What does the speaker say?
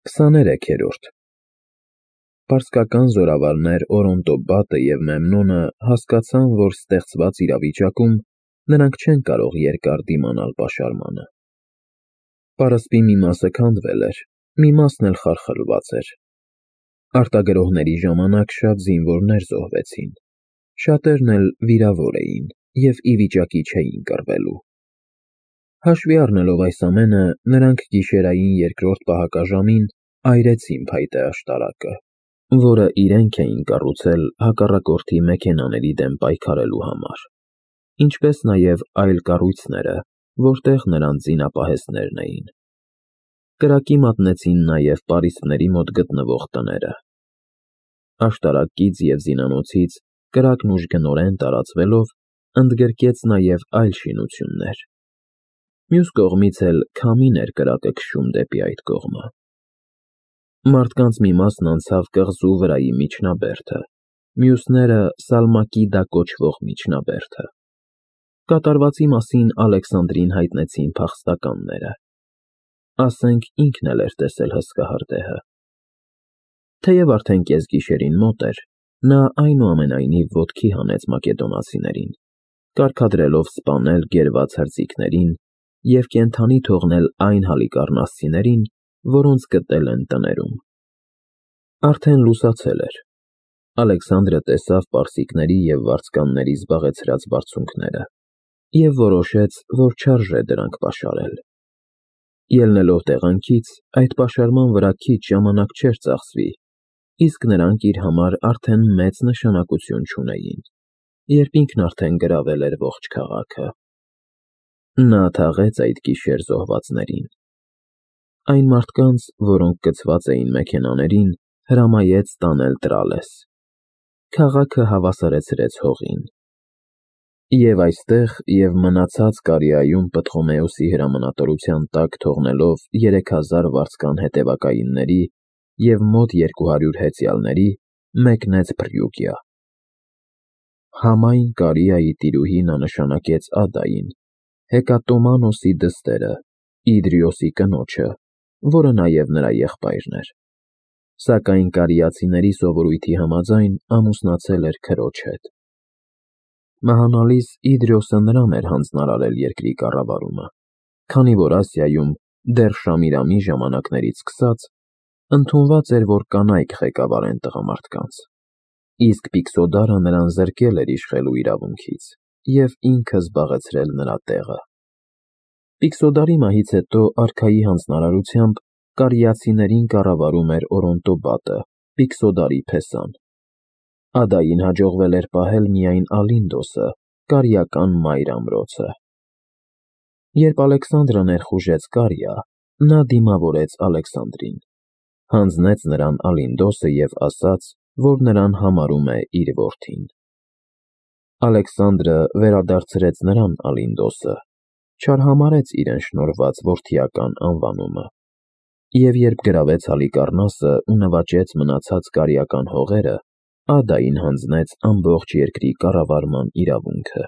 23-րդ Պարսկական զորավարներ Օրոնտոբատը և Մեմնոնը հասկացան, որ ստեղծված իրավիճակում նրանք չեն կարող երկար դիմանալ պաշարմանը։ Պարսպի մի մասը քանդվել էր, մի մասն էլ խարխլված էր։ Արտագրողների ժամանակ շատ զինվորներ զոհվեցին, շատերն էլ վիրավոր էին և ի վիճակի չէին կռվելու։ Հաշվի առնելով այս ամենը, նրանք գիշերային երկրորդ պահակաժամին այրեցին փայտե աշտարակը, որը իրենք էին կառուցել հակառակորդի մեքենաների դեմ պայքարելու համար, ինչպես նաև այլ կառույցները, որտեղ նրանց զինապահեսներն էին։ Կրակի մատնեցին նաև պարիսպների մոտ գտնվող տները։ Աշտարակից և զինանոցից կրակն ուժգնորեն տարածվելով ընդգրկեց նաև այլ շինություններ։ Մյուս կողմից էլ քամին էր կրակը քշում դեպի այդ կողմը։ Մարդկանց մի մասն անցավ կղզու վրայի միջնաբերդը, մյուսները Սալմակիդա կոչվող միջնաբերդը։ Կատարվածի մասին Ալեքսանդրին հայտնեցին փախստականները։ Ասենք ինքն էլ էր տեսել հսկա հրդեհը։ Թեև արդեն կեսգիշերին մոտ էր, նա այնուամենայնիվ ոտքի հանեց մակեդոնացիներին, կարգադրելով սպանել գերված հրձիգներին և կենդանի թողնել այն հալիկառնասցիներին, որոնց գտել են տներում։ Արդեն լուսացել էր։ Ալեքսանդրը տեսավ պարսիկների և վարձկանների զբաղեցրած բարձունքները և որոշեց, որ չարժե դրանք պաշարել։ Ելնելով տեղանքից, այդ պաշարման վրա քիչ ժամանակ չէր ծախսվի, իսկ նրանք իր համար արդեն մեծ նշանակություն չունեին, երբ ինքն արդեն գրավել էր ողջ քաղաքը։ Նա թաղեց այդ գիշեր զոհվածներին։ Այն մարդկանց, որոնք գցված էին մեքենաներին, հրամայեց տանել Տրալես։ Քաղաքը հավասարեցրեց հողին։ Եվ այստեղ և մնացած Կարիայում Պտղոմեոսի հրամանատարության տակ թողնելով 3000 վարձկան հետևակայինների և մոտ 200 հեծյալների, մեկնեց Փրիուգիա։ Համայն Կարիայի տիրուհի նա նշանակեց Ադային, Հեկատոմանոսի դստերը, Իդրիոսի կնոջը, որը նաև նրա եղբայրն էր, սակայն կարիացիների սովորույթի համաձայն ամուսնացել էր քրոջ հետ։ Մահանալիս Իդրիոսը նրան էր հանձնարարել երկրի կառավարումը, քանի որ Ասիայում դեռ Շամիրամի ժամանակներից սկսած ընդունված էր, որ կանայք ղեկավարեն տղամարդկանց, իսկ Պիքսոդարը նրան զրկել էր իշխելու իրավունքից և ինքը զբաղեցրել նրա տեղը։ Պիքսոդարի մահից հետո արքայի հանձնարարությամբ կարիացիներին կառավարում էր Օրոնտոբատը, Պիքսոդարի փեսան։ Ադային հաջողվել էր պահել միայն Ալինդոսը, կարիական մայր ամրոցը։ Երբ Ալեքսանդրը ներխուժեց Կարիա, նա դիմավորեց Ալեքսանդրին, հանձնեց նրան Ալինդոսը և ասաց, որ նրան համարում է իր որդին։ Ալեքսանդրը վերադարձրեց նրան Ալինդոսը, չարհամարհեց իրեն շնորհված որդիական անվանումը, և երբ գրավեց Հալիկառնասը ու նվաճեց մնացած կարիական հողերը, Ադային հանձնեց ամբողջ երկրի կառավարման իրավունքը։